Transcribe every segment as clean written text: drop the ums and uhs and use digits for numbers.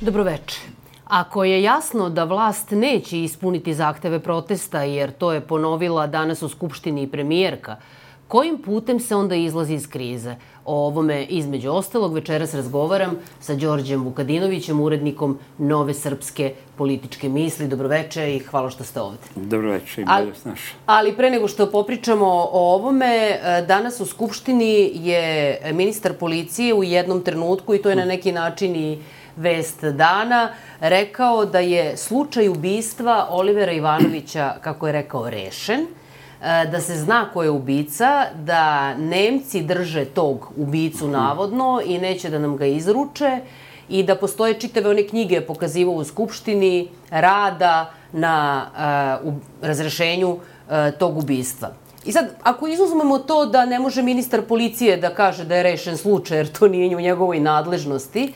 Dobroveče. Ako je jasno da vlast neće ispuniti zahteve protesta, jer to je ponovila danas u Skupštini i premijerka, kojim putem se onda izlazi iz krize? O ovome, između ostalog, večeras razgovaram sa Đorđem Vukadinovićem, urednikom Nove srpske političke misli. Dobroveče i hvala što ste ovde. Dobroveče i bolje snaš. Ali pre nego što popričamo o ovome, danas u Skupštini je ministar policije u jednom trenutku, i to je na neki način i vest dana, rekao da je slučaj ubistva Olivera Ivanovića, kako je rekao, rešen, da se zna ko je ubica, da Nemci drže tog ubicu navodno i neće da nam ga izruče i da postoje čitave one knjige pokazivao u Skupštini rada na razrešenju tog ubistva. I sad, ako izuzmemo to da ne može ministar policije da kaže da je rešen slučaj, jer to nije u njegovoj nadležnosti,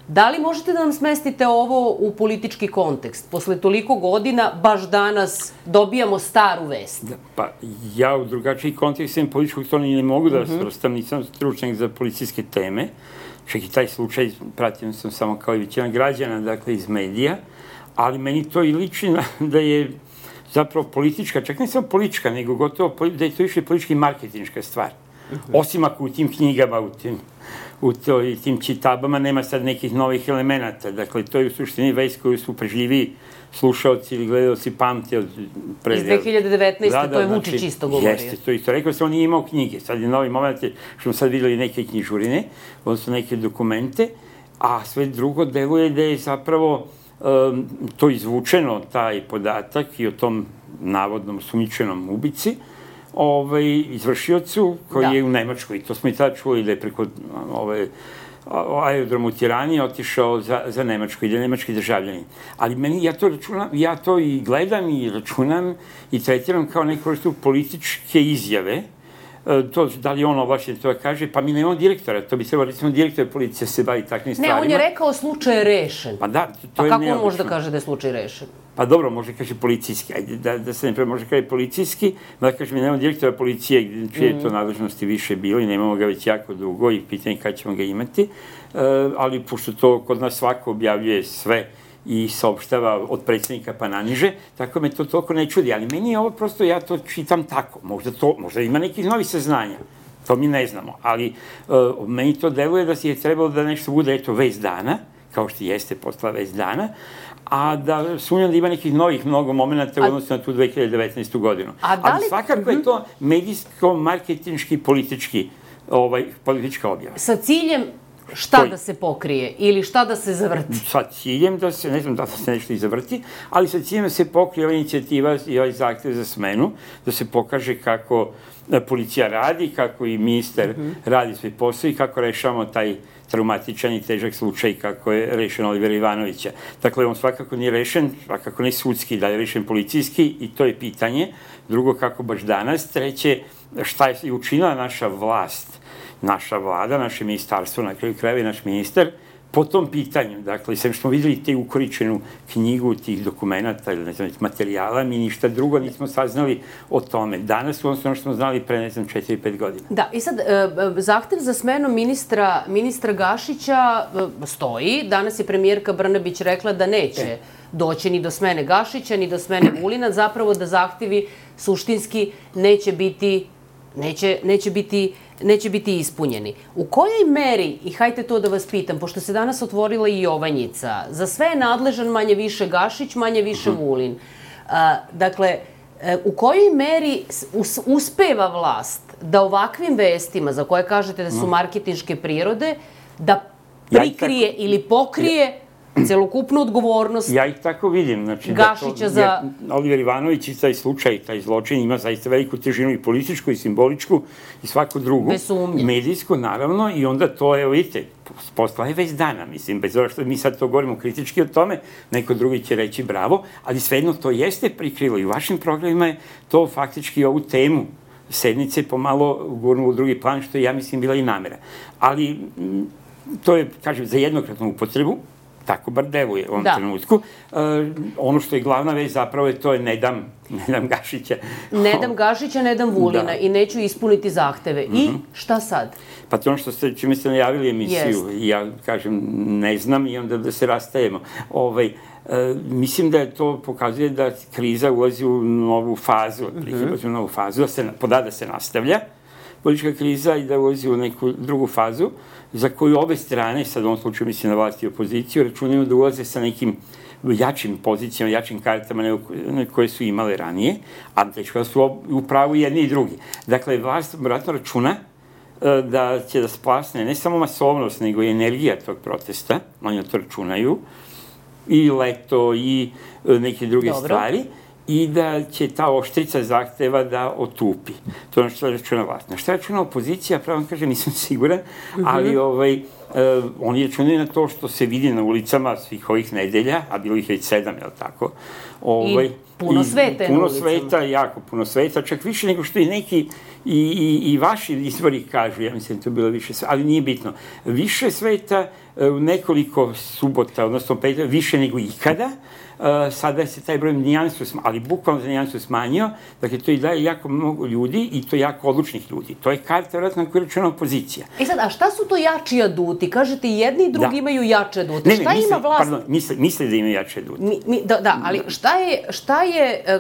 da li možete da nam smestite ovo u politički kontekst? Posle toliko godina, baš danas dobijamo staru vest. Pa ja u drugačiji kontekst sam političkog to ne mogu da svrstam, nisam stručnjak za policijske teme. Čak i taj slučaj pratio sam samo kao i većina građana, dakle iz medija, ali meni to i liči da je zapravo politička, čak ne samo politička, nego gotovo da je to više politički marketinška stvar. Osim ako u tim knjigama, u tim čitabama nema sad nekih novih elemenata. Dakle, to je u suštini vest koju su pažljiviji slušaoci ili gledalci pamte od iz 2019. To je Vučić isto govorio. Jeste, to isto rekao, on nije imao knjige. Sad je novi moment, što smo sad videli neke knjižurine, odnosno neke dokumente, a sve drugo deluje da je zapravo to izvučeno, taj podatak i o tom navodnom sumnjičenom ubici, izvršiocu koji je u Nemačkoj. To smo i tada čuli da je preko aerodromu u Tirani otišao za Nemačku i da je nemački državljanin. Ali meni, ja to i gledam i računam i tretiram kao neku vrstu političke izjave. To, da li on ovlašćen to kaže, pa mi nemamo direktora, to bi trebalo, recimo, direktor policije se bavi takvim stvarima. Ne, on je rekao slučaj je rešen. Pa da, to pa je kako neobično. on može da kaže da je slučaj rešen? Pa dobro, može kaže policijski, ajde da se ne može kaže policijski, da kaže mi nemamo direktora policije, čije je to nadležnosti više bilo i nemamo ga već jako dugo i pitanje kada ćemo ga imati, ali pošto to kod nas svako objavljuje sve i saopštava od predsjednika pa naniže, tako me to toliko ne čudi, ali meni je ovo prosto, ja to čitam tako, možda ima nekih novih saznanja, to mi ne znamo, ali meni to deluje da si je trebalo da nešto bude, eto, vest dana, kao što jeste postala vest dana, a da sumnjam da ima nekih novih mnogo momenta u odnosu na tu 2019. godinu. Ali svakako je to medijsko-marketinški politička objava. Sa ciljem šta da se pokrije ili šta da se zavrti? Sa ciljem da se, ne znam da se nešto i zavrti, ali sa ciljem da se pokrije ova inicijativa i ovaj zahtev za smenu, da se pokaže kako policija radi, kako i ministar radi svoj posao i kako rešavamo taj traumatičan i težak slučaj kako je rešen Olivera Ivanovića. Dakle, on svakako nije rešen, svakako ne sudski, da je rešen policijski i to je pitanje. Drugo, kako baš danas. Treće, šta je učinila naša vlast, naša vlada, naše ministarstvo, na kraju krajeva i naš ministar, po tom pitanju. Dakle, sem što smo videli te ukoričenu knjigu tih dokumenta ili, ne znam, materijala, mi ništa drugo nismo saznali o tome. Danas u ono što smo znali pre, ne znam, 4-5 godina. Da, i sad, zahtev za smenu ministra Gašića stoji. Danas je premijerka Brnabić rekla da neće doći ni do smene Gašića, ni do smene Vulina, zapravo da zahtevi suštinski neće biti ispunjeni. U kojoj meri, i hajte to da vas pitam, pošto se danas otvorila i Jovanjica, za sve je nadležan manje više Gašić, manje više Vulin. Dakle, u kojoj meri uspeva vlast da ovakvim vestima, za koje kažete da su marketinške prirode, da prikrije ili pokrije celokupnu odgovornost ja ih tako vidim. Gašića za... Oliver Ivanović i taj slučaj, taj zločin ima zaista veliku težinu i političku i simboličku i svaku drugu. Bez sumnje. Medijsku, naravno, i onda to, evo vidite, postala je već dana, mislim, bez obzira što mi sad to govorimo kritički o tome, neko drugi će reći bravo, ali svejedno to jeste prikrilo i u vašim programima je to faktički ovu temu sednice pomalo gurnulo u drugi plan, što je, ja mislim, bila i namera. Ali to je, kažem, za jednokratnu upotrebu, tako bar deluje u ovom trenutku. Ono što je glavna vez zapravo je to je ne dam Gašića. Ne dam Gašića, ne dam Vulina i neću ispuniti zahteve. I šta sad? Pa to ono čime ste najavili emisiju, ja kažem ne znam i onda da se rastajemo. Mislim da je to pokazuje da kriza ulazi u novu fazu, da se nastavlja politička kriza i da ulazi u neku drugu fazu za koju obe strane, sad u ovom slučaju mislim na vlast i opoziciju, računaju da ulaze sa nekim jačim pozicijama, jačim kartama koje su imale ranije, a teško da su u pravu jedni i drugi. Dakle, vlast vjerojatno računa da će da splasne ne samo masovnost, nego i energija tog protesta, oni to računaju, i leto, i neke druge stvari, i da će ta oštrica zahteva da otupi. To je ono što računa vlast. Na što računa opozicija, pravo kažem, nisam siguran, ali oni računaju na to što se vidi na ulicama svih ovih nedelja, a bilo ih već 7, je li tako? I puno sveta je na ulicama. Puno sveta, jako puno sveta, čak više nego što i neki i vaši izvori kažu, ja mislim da to bilo više sveta, ali nije bitno. Više sveta u nekoliko subota, odnosno petka, više nego ikada. Sada se taj broj ali bukvalno za nijansu smanjio, dakle to i daje jako mnogo ljudi i to jako odlučnih ljudi. To je karta vjerojatno na koju računa opozicija. Sad, a šta su to jači aduti? Kažete i jedni i drugi imaju jače adute. Šta ima vlast? Pardon, misle da imaju jače adute. Da, ali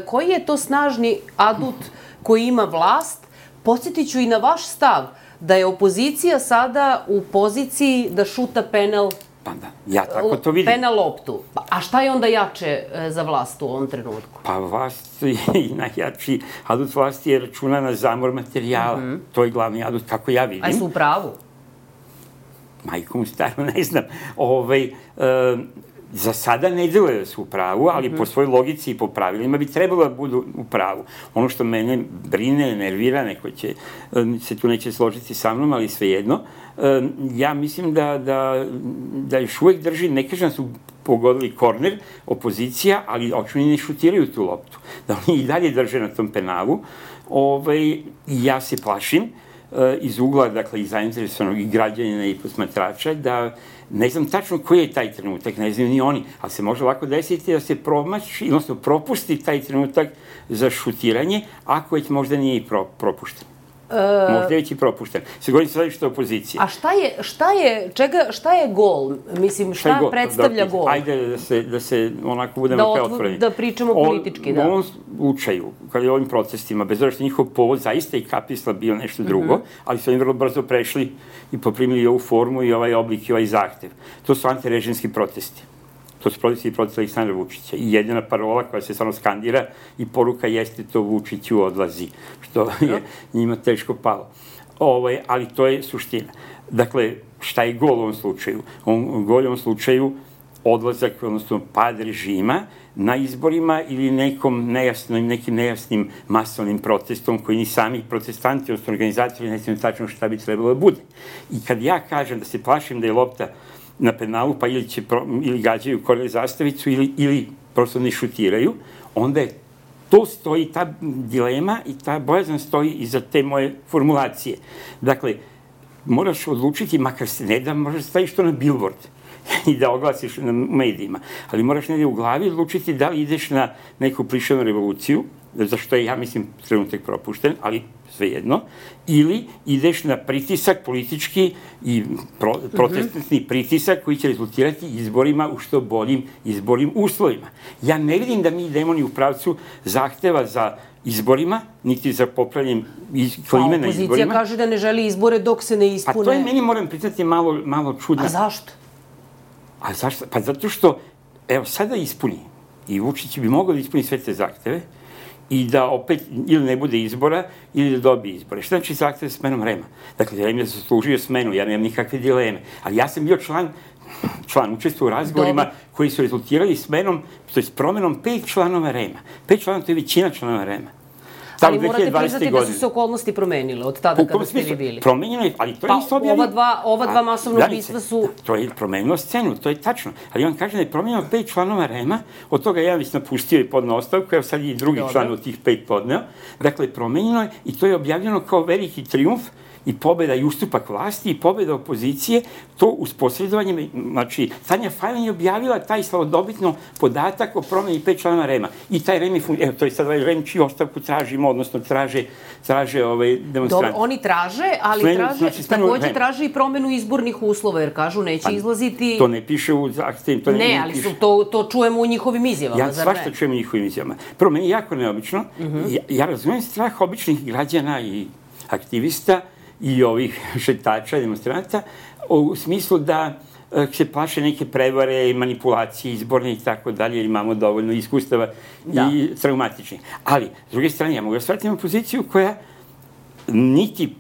koji je to snažni adut koji ima vlast? Podsjetit ću i na vaš stav da je opozicija sada u poziciji da šuta penal. Pa da, ja tako to vidim. Penal loptu. A šta je onda jače za vlast u ovom trenutku? Pa vlast i najjači adut vlasti je računa na zamor materijala. To je glavni adut, kako ja vidim. A su u pravu? Majkom staru, ne znam. Za sada ne deluje da su u pravu, ali po svojoj logici i po pravilima bi trebalo da budu u pravu. Ono što mene brine, nervira, neko se tu neće složiti sa mnom, ali svejedno, ja mislim da još uvek drži, ne kažem da su pogodili korner, opozicija, ali očinu ne šutiraju tu loptu. Da oni i dalje drže na tom penalu. Ja se plašim iz ugla, dakle, i zainteresovanog i građanina i posmatrača, da ne znam tačno koji je taj trenutak, ne znaju ni oni, ali se može lako desiti da se promaši, odnosno propusti taj trenutak za šutiranje, ako već možda nije i propušten. Možda je već i propušten. Se govorim sada što je opozicija. A šta je gol? Mislim, šta predstavlja gol? Ajde da se onako budemo preotvoreni. Da pričamo politički, da. U ovom slučaju, kad je ovim protestima, bez obzira što njihov povod zaista i kapisla bio nešto drugo, ali su oni vrlo brzo prešli i poprimili ovu formu i ovaj oblik i ovaj zahtev. To su antirežimski protesti. To su protesti protiv Aleksandra Vučića. I jedina parola koja se stvarno skandira i poruka jeste to Vučiću odlazi, što je njima teško palo. Ali to je suština. Dakle, šta je gol u ovom slučaju? Gol u ovom slučaju odlazak, odnosno pad režima na izborima ili nekim nejasnim masovnim protestom koji ni sami protestanti, odnosno organizatori, ne znam tačno šta bi trebalo da bude. I kad ja kažem da se plašim da je lopta na penalu, pa ili gađaju korner zastavicu ili prosto ne šutiraju, onda je to stoji, ta dilema i ta bojazan stoji iza te moje formulacije. Dakle, moraš odlučiti, makar se ne da, možeš staviš to na billboard i da oglasiš na medijima, ali moraš negdje u glavi odlučiti da li ideš na neku plišanu revoluciju, za što je, ja mislim, trenutak propušten, ali svejedno, ili ideš na pritisak politički i protestni pritisak koji će rezultirati izborima u što boljim izbornim uslovima. Ja ne vidim da mi idemo ni u pravcu zahteva za izborima, niti za popravljanjem klime na izborima. Opozicija kaže da ne želi izbore dok se ne ispune. Pa to je meni, moram priznati, malo čudno. A zašto? A zašto? Pa zato što, evo, sada ispuni, i Vučić bi mogao da ispuni sve te zahteve, i da opet ili ne bude izbora ili da dobije izbore. Šta znači zahtev sa smenom REM-a? Dakle, REM je zaslužio smenu, ja nemam nikakve dileme. Ali ja sam bio član učestvovao u razgovorima koji su rezultirali smenom, to je promenom 5 članova REM-a. 5 članova, to je većina članova REM-a. Ali morate priznati da su se okolnosti promenile od tada kada ste vi bili. Promenjeno je, ali to je isto objavljeno. Ova dva masovna ubistva su... To je promenilo scenu, to je tačno. Ali on kaže da je promenjeno 5 članova REM-a, od toga jedan već napustio i podneo ostavku, evo sad i drugi član od tih 5 podneo. Dakle, promenjeno je i to je objavljeno kao veliki trijumf i pobeda i ustupak vlasti i pobeda opozicije, to uz posredovanje, znači, Tanja Fajon je objavila taj slavodobitno podatak o promeni 5 članova REM-a. I taj REM je, to je sad ovaj REM čiju ostavku tražimo, odnosno traže demonstranti. Dobro, oni traže, ali takođe traže i promenu izbornih uslova, jer kažu neće izlaziti... To ne piše u zahtevu. Ne, ali to čujemo u njihovim izjavama, ja svašta čujem u njihovim izjavama. Prvo, meni je jako neobično. Ja razumem strah običnih građana i aktivista i ovih šetača, demonstranta, u smislu da se plaše neke prevare, manipulacije izborne i tako dalje, jer imamo dovoljno iskustava i traumatičnih. Ali, s druge strane, ja mogu da shvatim opoziciju koja niti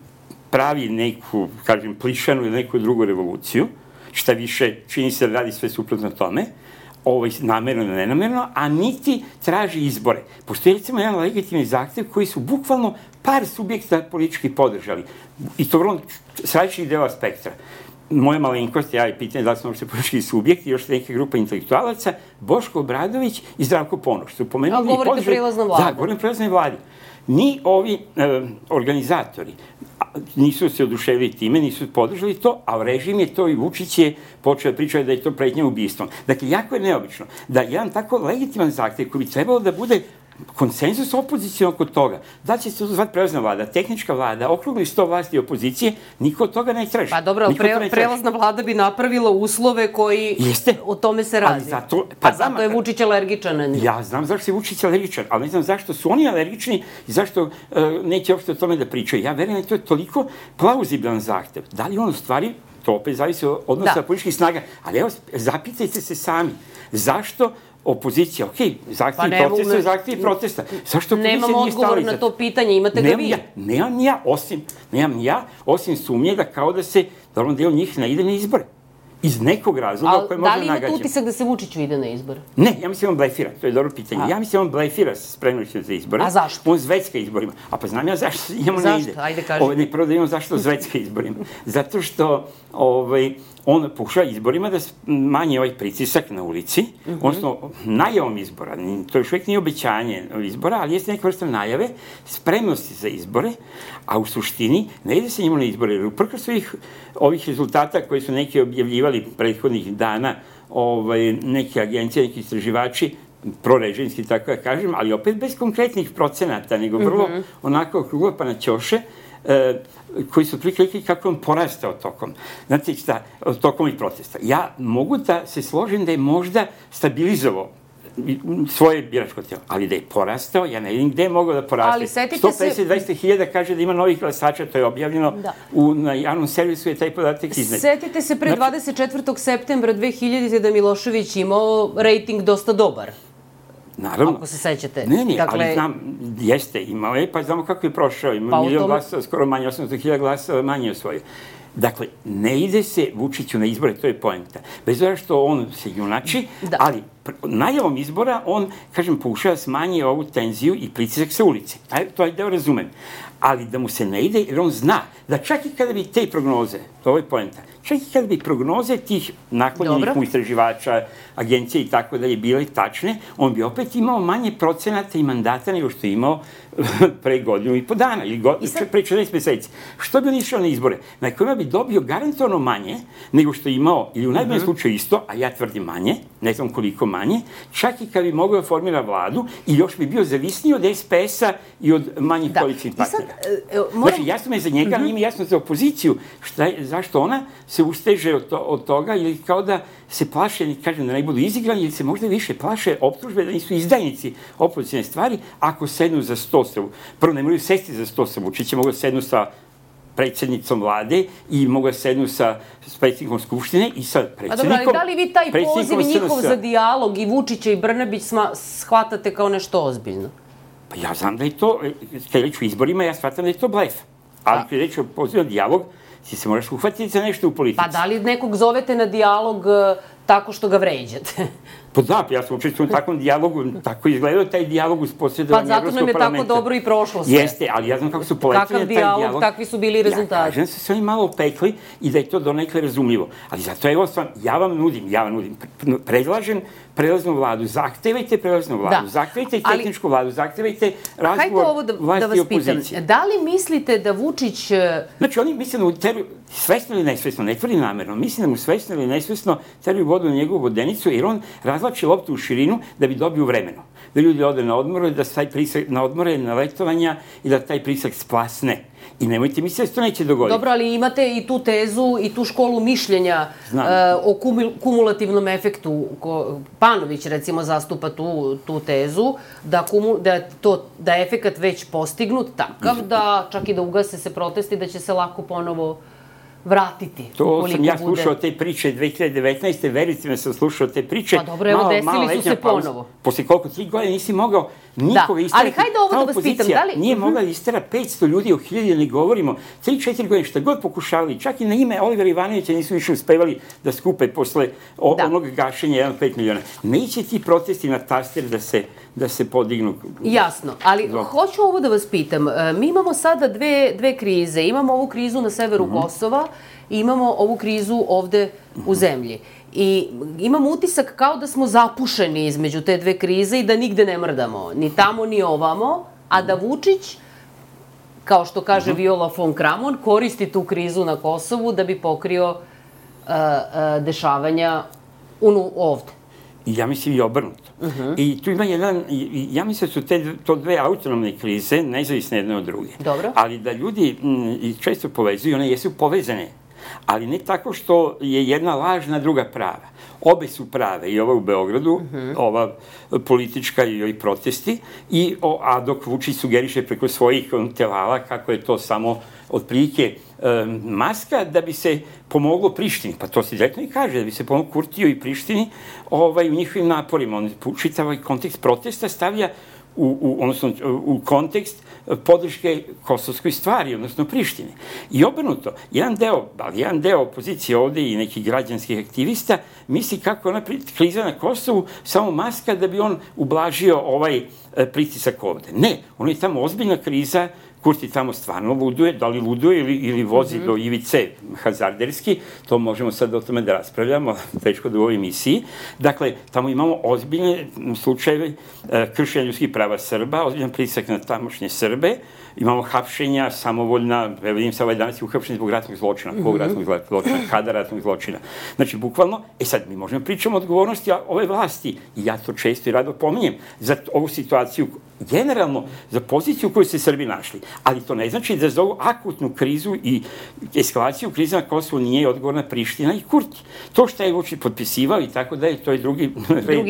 pravi neku, kažem, plišanu ili neku drugu revoluciju, šta više čini se da radi sve suprotno tome, namerno ili nenamerno, a niti traži izbore. Postoji recimo jedan legitimni zahtev koji su bukvalno par subjekta politički podržali. I to vrlo s različitih dela spektra. Moja malenkost, ja je pitanje da li smo uopšte politički subjekti, još neka grupa intelektualaca, Boško Obradović i Zdravko Ponoš. Govorite o prelaznoj vladi. Da, govorim o prelaznoj vladi. Ni ovi organizatori nisu se oduševili time, nisu podržali to, a režim je to i Vučić je počeo da priča da je to pretnja ubistvom. Dakle, jako je neobično da jedan tako legitiman zahtev koji bi trebalo da bude konsenzus opozicije oko toga, da će se to zvati prelazna vlada, tehnička vlada, okrugli sto vlasti opozicije, niko od toga ne traži. Pa dobro, prelazna vlada bi napravila uslove koji o tome se radi. Zato je Vučić alergičan na njih. Ja znam zašto je Vučić alergičan, ali ne znam zašto su oni alergični i zašto neće uopšte o tome da pričaju. Ja verujem da to je toliko plauzibilan zahtev. Da li on u stvari, to opet zavisi od odnosa političkih snaga, ali evo, zapitajte se sami, zašto opozicija, zahtjevi protesta. Zašto opozicija nije stala iza? Nemam odgovor na to pitanje, imate ga vi. Nemam ja, osim sumnje da kao da se dobrom delu njih ne ide na izbore. Iz nekog razloga koje možda nagađamo. Da li imate utisak da se Vučić ide na izbore? Ne, ja mislim on blefira, to je dobro pitanje. Ja mislim on blefira spremnošću za izbore. A zašto? On zvecka izborima. A pa znam ja zašto njemu ne ide. Zašto? Ajde kaži. Ne, prvo da imam zašto zvecka izborima. Zato što on pokušava izborima da manje ovaj pritisak na ulici, odnosno najavom izbora, to još uvijek nije obećanje izbora, ali jeste neka vrsta najave, spremnosti za izbore, a u suštini ne ide se njemu na izbore, jer uprkos ovih rezultata koji su neki objavljivali prethodnih dana, neke agencije, neki istraživači, prorežimski, tako da kažem, ali opet bez konkretnih procenata, nego vrlo onako okruglo pa na ćoše, koji su priklikli kako on porastao tokom. Znate šta, tokom ovih protesta. Ja mogu da se složim da je možda stabilizovao svoje biračko telo, ali da je porastao, ja ne vidim gde je mogao da poraste. Ali setite se... 150-200 kaže da ima novih glasača, to je objavljeno na javnom servisu, je taj podatak iznet. Setite se pre 24. septembra 2000. da Milošević imao rejting dosta dobar. Naravno. Ako se sećate. Ne, ali znam, jeste, imao je, pa znamo kako je prošao. Ima 1.000.000 glasova, skoro manje, 800.000 glasova manje osvojio. Dakle, ne ide se Vučiću na izbore, to je poenta. Bez obzira što on se junači, ali najavom izbora on, kažem, pokušava smanjiti ovu tenziju i pritisak sa ulice. To je deo razumem. Ali da mu se ne ide, jer on zna da čak i kada bi te prognoze, to je poenta, čak i kada bi prognoze tih naklonjenih mu istraživača, agencije i tako dalje bile tačne, on bi opet imao manje procenata i mandata nego što je imao pre godinu i po dana, ili pre 14 meseci. Što bi on išao na izbore? Na kojima bi dobio garantovano manje nego što je imao, ili u najboljem slučaju isto, a ja tvrdim manje, ne znam koliko manje, čak i kad bi mogao da formira vladu i još bi bio zavisniji od SPS-a i od manjih koalicijnih partnera. Znači, jasno me za njega, ali ima jasno za opoziciju, zašto ona se usteže od toga, ili kao da se plaše, kažem da ne budu izigrani, ili se možda više plaše optužbe da nisu izdajnici opozicijne stvari, ako sednu za sto sa... Prvo, ne moraju sesti za sto sa Vučićem, mogu da sednu sa predsjednicom vlade i mogu da sednu sa predsjednikom Skupštine i sa predsjednikom... A dobro, da li vi taj poziv njihov za dijalog i Vučića i Brnabić shvatate kao nešto ozbiljno? Pa ja znam da je to, kada je reč o izborima, ja shvatam da je to blef. Ali kada je reč o pozivu na dijalog, ti se moraš uhvatiti za nešto u politici. Pa da li nekog zovete na dijalog tako što ga vređate? Pa da, ja sam učestvovao u takvom dijalogu, tako izgledao taj dijalog uz posredovanje Evropskog parlamenta. Pa zato nam je tako dobro i prošlo sve. Jeste, ali ja znam kako su poletili na taj dijalog. Kakav dijalog, takvi su bili rezultati. Ja kažem se oni malo opekli i da je to donekle razumljivo. Ali zato evo stvarno, ja vam nudim, predlažem prelaznu vladu, zahtevajte prelaznu vladu, zahtevajte tehničku vladu, zahtevajte razgovor vlasti i opozicije. Da li mislite da Vučić... Znači, oni misle da svesno ili nesvesno, ne tvrdi namerno, mislim da mu svesno ili nesvesno teraju vodu na njegovu vodenicu, jer on razlači loptu u širinu da bi dobio vremenu. Da ljudi ode na odmore, da taj pritisak na odmore, na letovanja i da taj pritisak splasne. I nemojte misliti da se to neće dogoditi. Dobro, ali imate i tu tezu i tu školu mišljenja o kumulativnom efektu. Panović, recimo, zastupa tu tezu da je efekat već postignut takav da čak i da ugase se protesti, da će se lako ponovo vratiti. To sam ja slušao te priče 2019. Verite me, sam slušao te priče. Pa dobro, evo, desili su se ponovo. Posle koliko 3 godine nisi mogao nikoga isterati. Ali hajde ovo da vas pitam, da li... Nije mogla da istera 500 ljudi u 1000, ne govorimo. 3-4 godine, šta god pokušavali, čak i na ime Olivera Ivanovića nisu više uspevali da skupe posle onog gašenja 1,5 miliona. Neće ti protesti na taster da se podignu. Jasno, ali hoću ovo da vas pitam. Mi imamo sada dve krize. Imamo ovu krizu na severu Kosova i imamo ovu krizu ovde u zemlji. I imam utisak kao da smo zapušeni između te dve krize i da nigde ne mrdamo. Ni tamo, ni ovamo. A da Vučić, kao što kaže Viola von Kramon, koristi tu krizu na Kosovu da bi pokrio dešavanja ovde. Ja mislim i obrnuto. I tu ima ja mislim da su to dve autonomne krize, nezavisne jedne od druge. Dobro. Ali da ljudi često povezuju, one jesu povezane, ali ne tako što je jedna lažna, druga prava. Obe su prave, i ova u Beogradu, ova politička i ovi protesti, a dok Vučić sugeriše preko svojih telala kako je to samo otprilike maska da bi se pomoglo Prištini. Pa to se direktno i kaže, da bi se pomoglo Kurtiju i Prištini u njihovim naporima. On čitav ovaj kontekst protesta stavlja u kontekst podrške kosovskoj stvari, odnosno Prištine. I obrnuto, jedan deo opozicije ovde i nekih građanskih aktivista misli kako ona kriza na Kosovu samo maska da bi on ublažio ovaj pritisak ovde. Ne, ono je tamo ozbiljna kriza, Kurti tamo stvarno luduje, da li luduje ili vozi do ivice hazarderski, to možemo sad o tome da raspravljamo, teško da u ovoj emisiji. Dakle, tamo imamo ozbiljne slučajeve kršenja ljudskih prava Srba, ozbiljan pritisak na tamošnje Srbe, imamo hapšenja, samovoljna, vidim se danas je uhapšen zbog ratnog zločina, kog ratnog zločina, kada ratnog zločina. Znači, bukvalno, sad mi možemo pričamo o odgovornosti ove vlasti, i ja to često i rado pominjem, za ovu situaciju, generalno, za poziciju u kojoj se Srbi našli. Ali to ne znači da za ovu akutnu krizu i eskalaciju krize na Kosovu nije odgovorna Priština i Kurti. To što je Vučić potpisivao i tako da je, to je drugi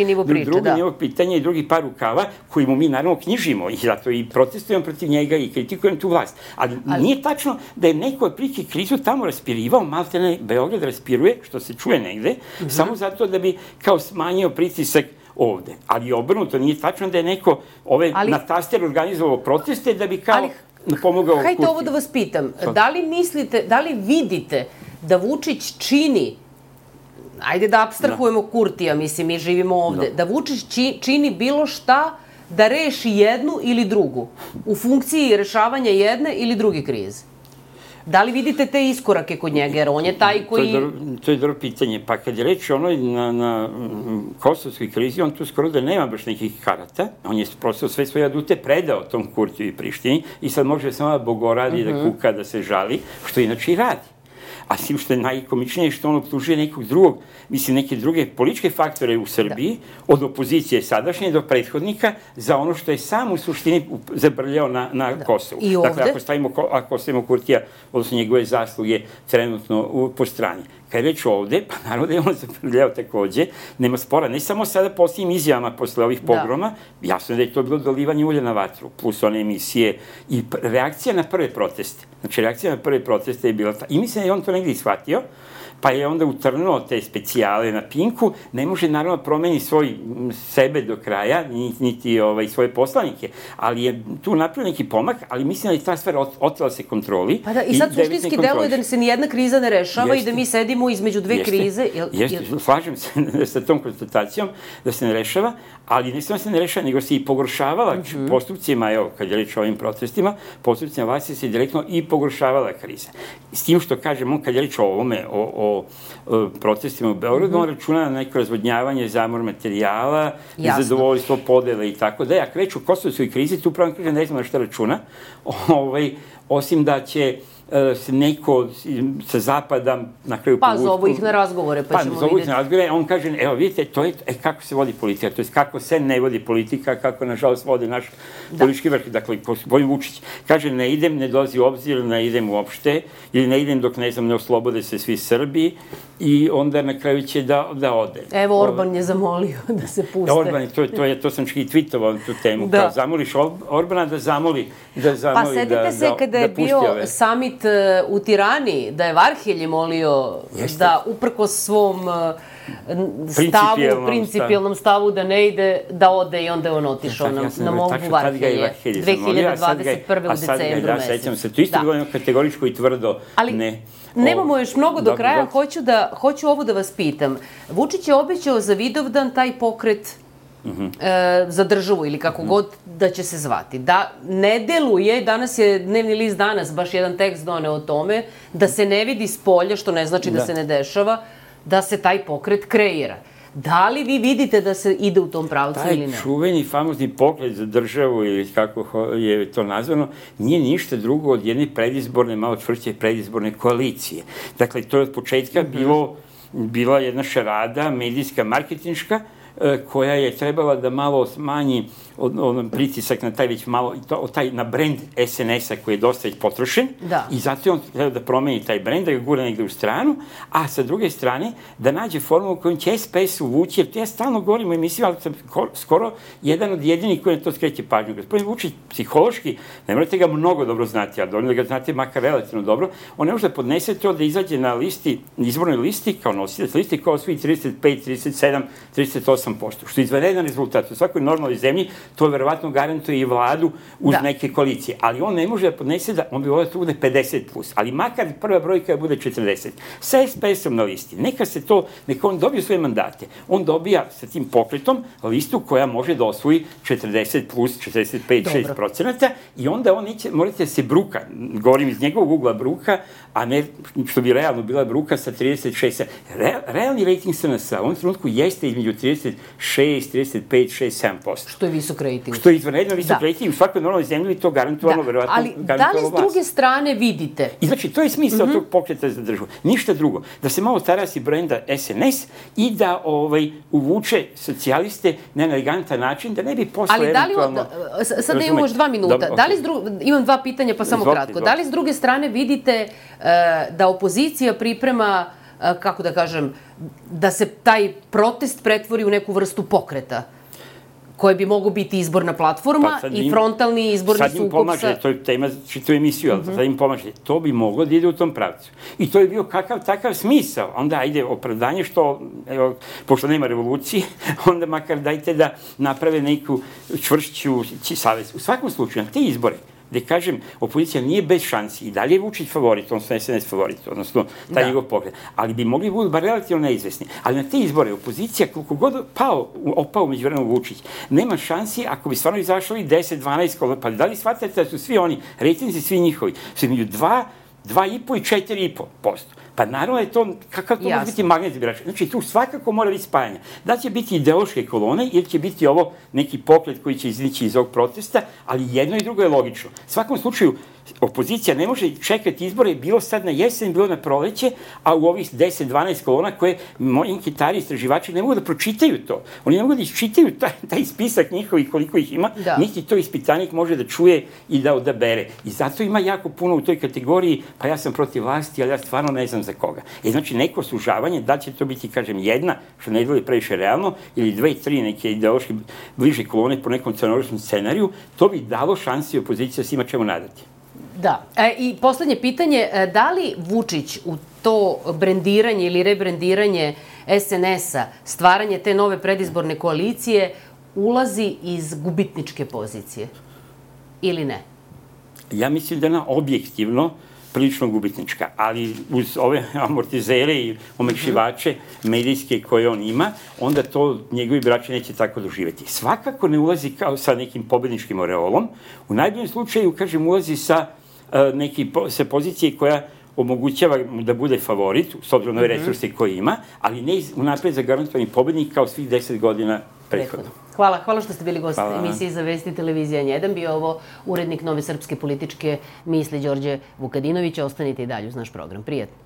nivo priče, drugi nivo pitanja i drugi par rukava koji mu mi naravno knjižimo i zato i protestujemo protiv njega i kritikujem tu vlast. Ali nije tačno da je neko otprilike krizu tamo raspirivao, maltene Beograd raspiruje, što se čuje negde, samo zato da bi kao smanjio pritisak ovde. Ali obrnuto, nije tačno da je neko na taster organizovao proteste da bi kao pomogao Kurtiju. Hajde ovo da vas pitam. Da li vidite da Vučić čini, ajde da apstrahujemo Kurtija, mislim, mi živimo ovde, da Vučić čini bilo šta da reši jednu ili drugu u funkciji rešavanja jedne ili druge krize? Da li vidite te iskorake kod njega, jer on je taj koji... To je dobro pitanje. Pa kad je reč onoj na kosovskoj krizi, on tu skoro da nema baš nekih karata. On je prosto sve svoje adute predao tom Kurtiju i Prištini i sad može samo da bogoradi, da kuka, da se žali, što inače i radi. A svim što je najkomičnije što on optužuje nekog drugog, mislim neke druge političke faktore u Srbiji, od opozicije sadašnje do prethodnika, za ono što je sam u suštini zabrljao na Kosovu. I ovde? Dakle, ako ostavimo Kurtija, odnosno njegove zasluge trenutno po strani. Kad je već ovde, pa naravno da je on zabrljao takođe, nema spora, ne samo sada posljednjim izjavama posle ovih pogroma, jasno je da je to bilo dolivanje ulja na vatru, plus one emisije i reakcija na prve proteste. Znači, reakcija na prve proteste je bila ta. I mislim da je on to negdje ishvatio, pa je onda utrnuo te specijale na Pinku, ne može naravno promeni sebe do kraja, niti svoje poslanike, ali je tu napravio neki pomak, ali mislim da je ta stvar otela se kontroli. Pa da, i sad suštinski deluje da se nijedna kriza ne rešava i da mi sedimo između dve krize. Slažem se sa tom konstatacijom da se ne rešava, ali ne samo se ne rešava, nego se i pogoršavala postupcima, evo, kad je reč o ovim protestima, postupcima vlasti se direktno i pogoršavala kriza. S tim što kažem, on kad je reč o ovome, o protestima u Beogradu, on računa na neko razvodnjavanje, zamor materijala, nezadovoljstvo, podele i tako da. Ako reč o kosovskoj krizi, tu upravo kažem, ne znam na šta računa, osim da će se neko sa zapada na kraju povući. Pa zovu ih na razgovore, pa ćemo vidjeti. Pa zovu ih na razgovore, on kaže, evo vidite, to je kako se vodi politika, to je kako se ne vodi politika, kako nažalost vodi naš politički vrh, dakle, Vojin Vučić. Kaže, ne idem, ne dolazi u obzir, ne idem uopšte, ili ne idem dok, ne znam, ne oslobode se svi Srbi, i onda na kraju će da ode. Evo, Orban je zamolio da se puste. Orban, to sam čak i tweetovao na tu temu, kao zamoliš Orbana da zamoli Pa setite se kada je bio samit u Tirani, da je Varhelj molio da uprkos svom principijelnom stavu da ne ide, da ode i onda je on otišao na molbu Varhelje 2021. u decembru mesecu. Sećam se, to isto bilo jedno kategoričko i tvrdo ne. Nemamo još mnogo do kraja, hoću ovo da vas pitam. Vučić je obećao za Vidovdan taj pokret za državu ili kako god da će se zvati. Da ne deluje, danas je dnevni list Danas baš jedan tekst doneo o tome, da se ne vidi s polja, što ne znači da se ne dešava, da se taj pokret kreira. Da li vi vidite da se ide u tom pravcu ili ne? Taj čuveni, famozni pokret za državu, ili kako je to nazvano, nije ništa drugo od jedne predizborne, malo čvršće predizborne koalicije. Dakle, to je od početka bila jedna šarada, medijska, marketinška, koja je trebala da malo smanji pritisak na taj već malo, na brend SNS-a koji je dosta već potrošen i zato je on trebao da promeni taj brend, da ga gura negde u stranu, a sa druge strane da nađe formulu kojom će SPS uvući, jer ja stalno govorim u emisiji, ali sam skoro jedan od jedinih koji na to skreće pažnju. Gospodin Vučić, psihološki, ne morate ga mnogo dobro znati, ali dovoljno da ga znate makar relativno dobro, on ne može da podnese to da izađe na izbornoj listi, kao nosilac listi, kao svi 35, 37, 38%, što je izvanredan rezultat. U svakoj normalnoj zemlji to verovatno garantuje i vladu uz neke koalicije. Ali on ne može da podnese on bi volio da to bude 50+, ali makar prva brojka bude 40. Sa SPS-om na listi, neka on dobije svoje mandate. On dobija sa tim pokretom listu koja može da osvoji 40+, 45-6% i onda on neće, morate da se bruka, govorim iz njegovog ugla bruka, a ne što bi realno bila bruka sa 36. Realni rating SNS-a u ovom trenutku jeste između 36, 35, 6, 7%. Što je visok rating. Što je izvanredno visok rating, u svakoj normalnoj zemlji to garantovano, verovatno. Ali da li s druge strane vidite? I znači, to je smisao tog pokreta za državu. Ništa drugo. Da se malo tarasi brenda SNS i da uvuče socijaliste na elegantan način, da ne bi posle eventualno... Sad imamo još 2 minuta. Imam 2 pitanja, pa samo kratko. Da li s druge strane vidite da opozicija priprema, kako da kažem, da se taj protest pretvori u neku vrstu pokreta? Koje bi mogo biti izborna platforma i frontalni izborni sukob sa... Sad im pomaže, to je tema čitu emisiju, ali sad im pomaže. To bi moglo da ide u tom pravcu. I to je bio kakav takav smisao. Onda ajde opravdanje što, pošto nema revolucije, onda makar dajte da naprave neku čvršću savez. U svakom slučaju, na te izbore, gde kažem, opozicija nije bez šansi i dalje je Vučić favorit, odnosno SNS favorit, odnosno taj njegov pokret, ali bi mogli budu bar relativno neizvesni. Ali na te izbore opozicija, koliko god opao među vremenom Vučić, nema šansi ako bi stvarno izašli 10, 12, pa da li shvatate da su svi oni, rejtinzi svi njihovi, su među 2,5 i 4,5%. Pa naravno je to, kakav to može biti magnet birača. Znači, tu svakako mora biti spajanje. Da će biti ideološke kolone ili će biti ovo neki pokret koji će iznići iz ovog protesta, ali jedno i drugo je logično. U svakom slučaju, opozicija ne može čekati izbore, bilo sad na jesen, bilo na proleće, a u ovih 10-12 kolona koje moji anketari, istraživači ne mogu da pročitaju to. Oni ne mogu da iščitaju taj spisak njihovih koliko ih ima, niti to ispitanik može da čuje i da odabere. I zato ima jako puno u toj kategoriji, pa ja sam protiv vlasti, ali ja stvarno ne znam za koga. Znači, neko sužavanje, da će to biti, kažem, jedna, što ne dvoli previše realno, ili 2-3 neke ideološki bliže kolone po nekom crnogorskom scenariju, to bi dalo šansi opoziciji da se ima čemu nadati. Da. I poslednje pitanje, da li Vučić u to brendiranje ili rebrendiranje SNS-a, stvaranje te nove predizborne koalicije, ulazi iz gubitničke pozicije ili ne? Ja mislim da je ona objektivno prilično gubitnička, ali uz ove amortizere i omekšivače medijske koje on ima, onda to njegovi birači neće tako doživeti. Svakako ne ulazi kao sa nekim pobedničkim oreolom. U najboljem slučaju, kažem, ulazi sa pozicije koja omogućava da bude favorit, s obzirom na ove resurse koje ima, ali ne unapred zagarantovani pobednik kao svih 10 godina prethodno. Hvala što ste bili gost emisije za Vesti televizija N1. Bio ovo urednik Nove srpske političke misli Đorđe Vukadinović. Ostanite i dalje uz naš program. Prijetno.